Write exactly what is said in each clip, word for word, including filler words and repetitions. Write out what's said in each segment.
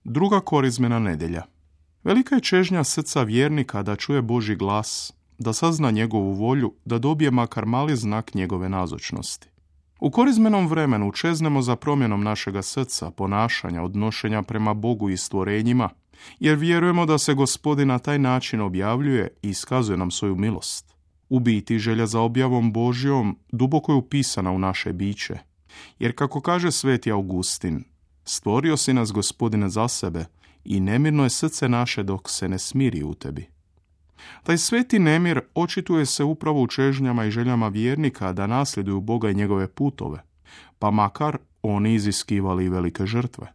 Druga korizmena nedjelja. Velika je čežnja srca vjernika da čuje Božji glas, da sazna njegovu volju, da dobije makar mali znak njegove nazočnosti. U korizmenom vremenu čeznemo za promjenom našega srca, ponašanja, odnošenja prema Bogu i stvorenjima, jer vjerujemo da se Gospodin na taj način objavljuje i iskazuje nam svoju milost. U biti, želja za objavom Božjom duboko je upisana u naše biće, jer kako kaže sveti Augustin, stvorio si nas, Gospodine, za sebe i nemirno je srce naše dok se ne smiri u tebi. Taj sveti nemir očituje se upravo u čežnjama i željama vjernika da nasljeduju Boga i njegove putove, pa makar oni iziskivali i velike žrtve.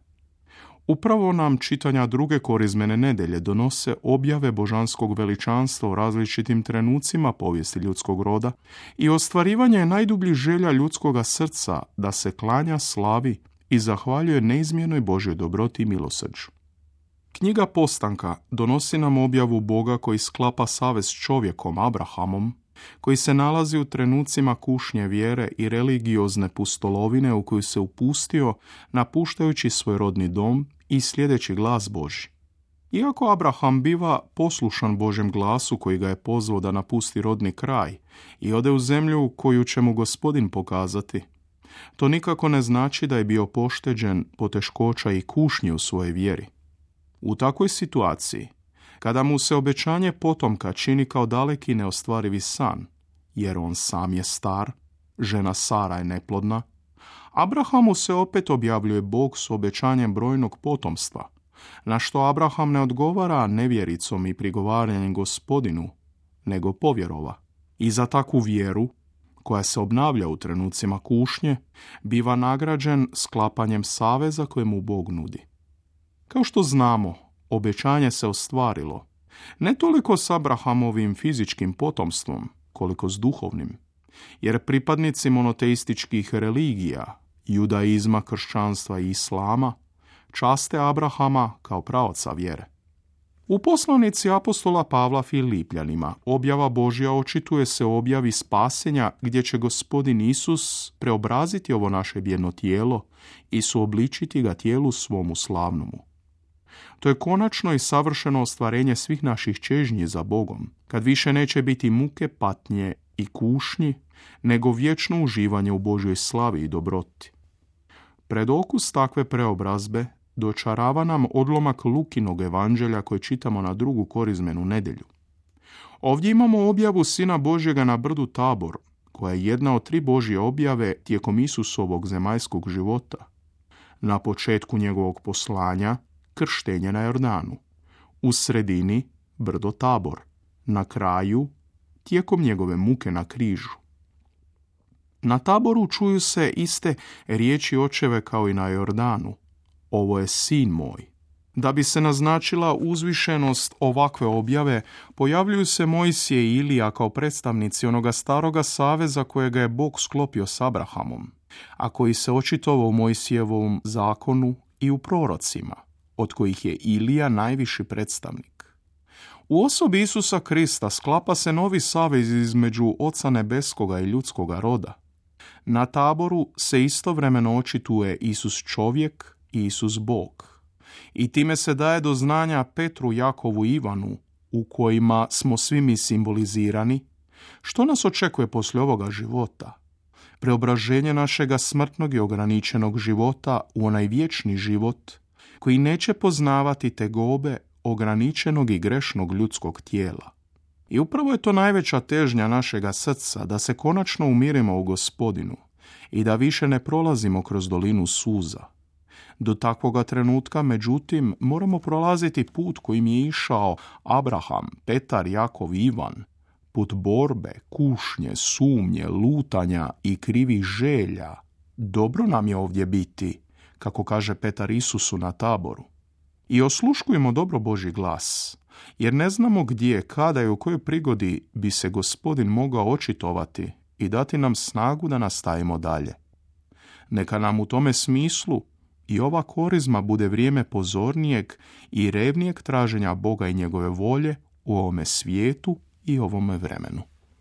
Upravo nam čitanja druge korizmene nedjelje donose objave božanskog veličanstva u različitim trenucima povijesti ljudskog roda i ostvarivanje najdubljih želja ljudskoga srca da se klanja, slavi i zahvaljuje neizmjernoj Božjoj dobroti i milosrđu. Knjiga Postanka donosi nam objavu Boga koji sklapa savez s čovjekom Abrahamom, koji se nalazi u trenucima kušnje vjere i religiozne pustolovine u koju se upustio napuštajući svoj rodni dom i sljedeći glas Božji. Iako Abraham biva poslušan Božjem glasu koji ga je pozvao da napusti rodni kraj i ode u zemlju koju će mu Gospodin pokazati, to nikako ne znači da je bio pošteđen poteškoća i kušnje u svojoj vjeri. U takvoj situaciji, kada mu se obećanje potomka čini kao daleki i neostvarivi san, jer on sam je star, žena Sara je neplodna, Abrahamu se opet objavljuje Bog s obećanjem brojnog potomstva, na što Abraham ne odgovara nevjericom i prigovaranjem Gospodinu, nego povjerova. I za takvu vjeru, koja se obnavlja u trenucima kušnje, biva nagrađen sklapanjem saveza koje mu Bog nudi. Kao što znamo, obećanje se ostvarilo, ne toliko s Abrahamovim fizičkim potomstvom, koliko s duhovnim, jer pripadnici monoteističkih religija, judaizma, kršćanstva i islama, časte Abrahama kao praoca vjere. U poslanici apostola Pavla Filipljanima objava Božja očituje se o objavi spasenja gdje će Gospodin Isus preobraziti ovo naše bijedno tijelo i suobličiti ga tijelu svomu slavnomu. To je konačno i savršeno ostvarenje svih naših čežnji za Bogom, kad više neće biti muke, patnje i kušnji, nego vječno uživanje u Božjoj slavi i dobroti. Pred okus takve preobrazbe dočarava nam odlomak Lukinog evanđelja koje čitamo na drugu korizmenu nedjelju. Ovdje imamo objavu Sina Božjega na brdu Tabor, koja je jedna od tri Božje objave tijekom Isusovog zemaljskog života. Na početku njegovog poslanja krštenje na Jordanu, u sredini brdo Tabor, na kraju tijekom njegove muke na križu. Na Taboru čuju se iste riječi očeve kao i na Jordanu. Ovo je sin moj. Da bi se naznačila uzvišenost ovakve objave, pojavljuju se Mojsije i Ilija kao predstavnici onoga staroga saveza kojega je Bog sklopio s Abrahamom, a koji se očitovao u Mojsijevom zakonu i u prorocima, od kojih je Ilija najviši predstavnik. U osobi Isusa Krista sklapa se novi savez između Oca nebeskoga i ljudskoga roda. Na Taboru se istovremeno očituje Isus čovjek i Isus Bog. I time se daje do znanja Petru, Jakovu i Ivanu, u kojima smo svi mi simbolizirani, što nas očekuje poslije ovoga života. Preobraženje našega smrtnog i ograničenog života u onaj vječni život, koji neće poznavati tegobe ograničenog i grešnog ljudskog tijela. I upravo je to najveća težnja našega srca, da se konačno umirimo u Gospodinu i da više ne prolazimo kroz dolinu suza. Do takvoga trenutka, međutim, moramo prolaziti put kojim je išao Abraham, Petar, Jakov i Ivan, put borbe, kušnje, sumnje, lutanja i krivih želja. Dobro nam je ovdje biti, kako kaže Petar Isusu na Taboru. I osluškujemo dobro Božji glas, jer ne znamo gdje, kada i u kojoj prigodi bi se Gospodin mogao očitovati i dati nam snagu da nastavimo dalje. Neka nam u tome smislu i ova korizma bude vrijeme pozornijeg i revnijeg traženja Boga i njegove volje u ovome svijetu i ovome vremenu.